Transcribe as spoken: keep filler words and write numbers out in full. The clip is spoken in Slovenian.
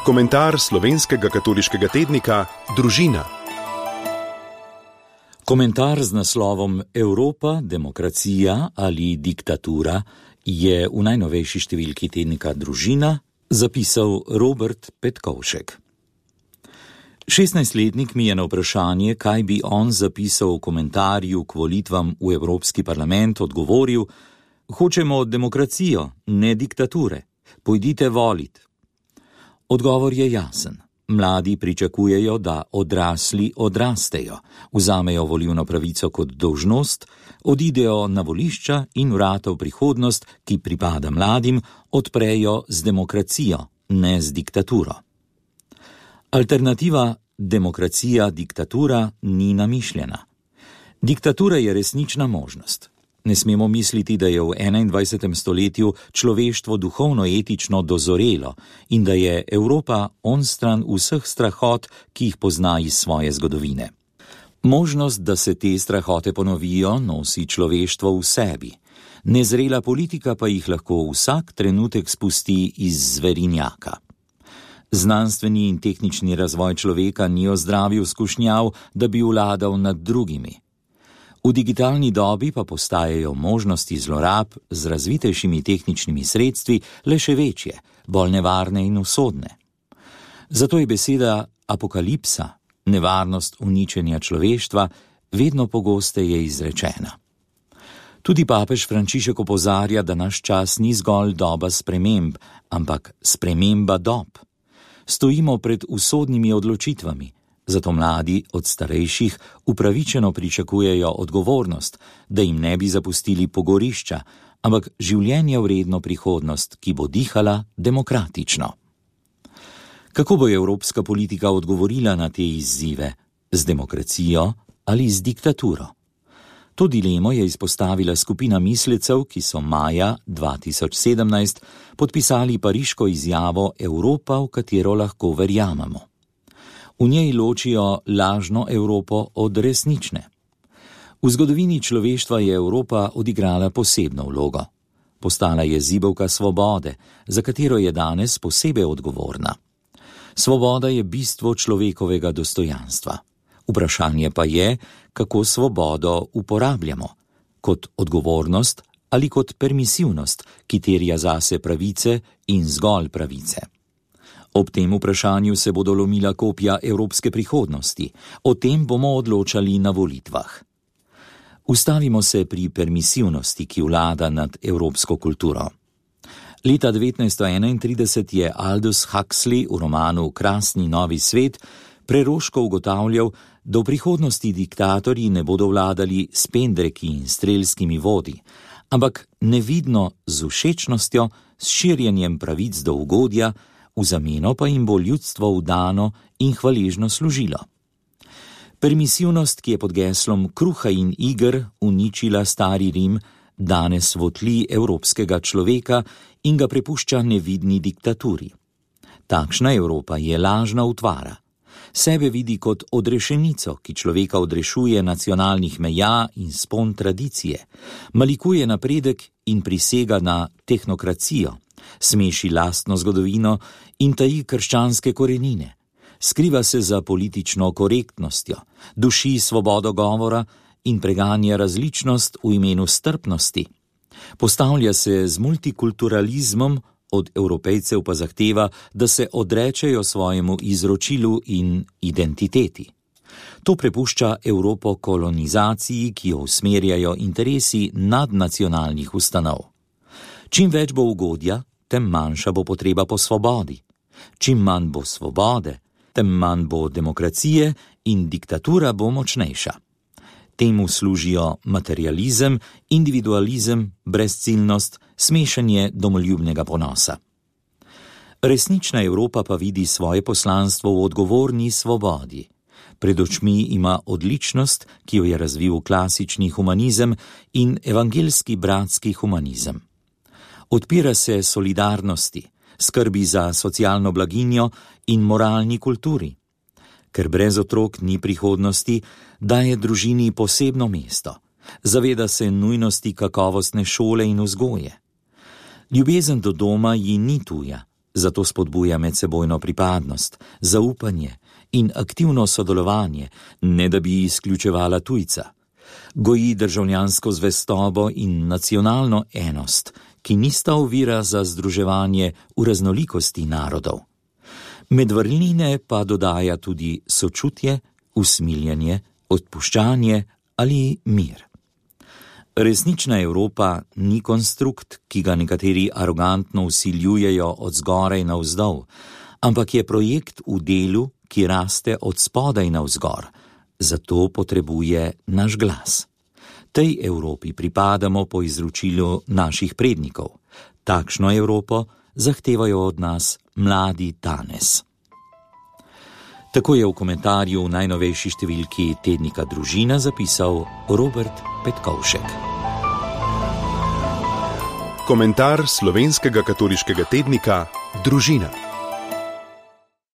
Komentar slovenskega katoliškega tednika Družina. Komentar z naslovom Evropa, demokracija ali diktatura je v najnovejši številki tednika Družina zapisal Robert Petkovšek. šestnajstletnik mi je na vprašanje, kaj bi on zapisal v komentarju k volitvam v Evropski parlament, odgovoril: hočemo demokracijo, ne diktature. Pojdite volit. Odgovor je jasen. Mladi pričakujejo, da odrasli odrastejo, vzamejo volilno pravico kot dolžnost, odidejo na volišča in vrata v prihodnost, ki pripada mladim, odprejo z demokracijo, ne z diktaturo. Alternativa demokracija, diktatura ni namišljena. Diktatura je resnična možnost. Ne smemo misliti, da je v enaindvajsetem stoletju človeštvo duhovno-etično dozorelo in da je Evropa onstran vseh strahot, ki jih pozna iz svoje zgodovine. Možnost, da se te strahote ponovijo, nosi človeštvo v sebi. Nezrela politika pa jih lahko vsak trenutek spusti iz zverinjaka. Znanstveni in tehnični razvoj človeka ni ozdravil skušnjav, da bi vladal nad drugimi. V digitalni dobi pa postajajo možnosti zlorab z razvitejšimi tehničnimi sredstvi le še večje, bolj nevarne in usodne. Zato je beseda apokalipsa, nevarnost uničenja človeštva, vedno pogosteje izrečena. Tudi papež Frančišek opozarja, da naš čas ni zgolj doba sprememb, ampak sprememba dob. Stojimo pred usodnimi odločitvami. Zato mladi od starejših upravičeno pričakujejo odgovornost, da jim ne bi zapustili pogorišča, ampak življenje vredno prihodnost, ki bo dihala demokratično. Kako bo evropska politika odgovorila na te izzive? Z demokracijo ali z diktaturo? To dilemo je izpostavila skupina mislecev, ki so maja dva tisoč sedemnajst podpisali pariško izjavo Evropa, v katero lahko verjamemo. V njej ločijo lažno Evropo od resnične. V zgodovini človeštva je Evropa odigrala posebno vlogo. Postala je zibelka svobode, za katero je danes posebej odgovorna. Svoboda je bistvo človekovega dostojanstva. Vprašanje pa je, kako svobodo uporabljamo, kot odgovornost ali kot permisivnost, ki terja zase pravice in zgolj pravice. Ob tem vprašanju se bodo lomila kopja evropske prihodnosti. O tem bomo odločali na volitvah. Ustavimo se pri permisivnosti, ki vlada nad evropsko kulturo. Leta devetnajststo enaintrideset je Aldous Huxley v romanu Krasni novi svet preroško ugotavljal, da v prihodnosti diktatorji ne bodo vladali s pendreki in strelskimi vodi, ampak nevidno z všečnostjo, s širjenjem pravic do ugodja, v zameno pa jim bo ljudstvo vdano in hvaležno služilo. Permisivnost, ki je pod geslom kruha in iger uničila stari Rim, danes votli evropskega človeka in ga prepušča nevidni diktaturi. Takšna Evropa je lažna utvara. Sebe vidi kot odrešenico, ki človeka odrešuje nacionalnih meja in spon tradicije, malikuje napredek in prisega na tehnokracijo, smeši lastno zgodovino in taji krščanske korenine, skriva se za politično korektnostjo, duši svobodo govora in preganja različnost v imenu strpnosti. Postavlja se z multikulturalizmom, od Evropejcev pa zahteva, da se odrečejo svojemu izročilu in identiteti. To prepušča Evropo kolonizaciji, ki jo usmerjajo interesi nadnacionalnih ustanov. Čim več bo ugodja, tem manjša bo potreba po svobodi. Čim manj bo svobode, tem manj bo demokracije in diktatura bo močnejša. Temu služijo materializem, individualizem, brezciljnost, smešanje domoljubnega ponosa. Resnična Evropa pa vidi svoje poslanstvo v odgovorni svobodi. Pred očmi ima odličnost, ki jo je razvil klasični humanizem in evangeljski bratski humanizem. Odpira se solidarnosti, skrbi za socialno blaginjo in moralni kulturi. Ker brez otrok ni prihodnosti, daje družini posebno mesto. Zaveda se nujnosti kakovostne šole in vzgoje. Ljubezen do doma ji ni tuja, Zato spodbuja medsebojno pripadnost, zaupanje in aktivno sodelovanje, ne da bi izključevala tujca. Goji državljansko zvestobo in nacionalno enost, ki nista ovira za združevanje v raznolikosti narodov. Med vrline pa dodaja tudi sočutje, usmiljenje, odpuščanje ali mir. Resnična Evropa ni konstrukt, ki ga nekateri arogantno vsiljujejo od zgoraj navzdol, ampak je projekt v delu, ki raste od spodaj navzgor, zato potrebuje naš glas. Tej Evropi pripadamo po izročilu naših prednikov. Takšno Evropo zahtevajo od nas mladi danes. Tako je v komentarju v najnovejši številki tednika Družina zapisal Robert Petkovšek. Komentar slovenskega katoliškega tednika Družina.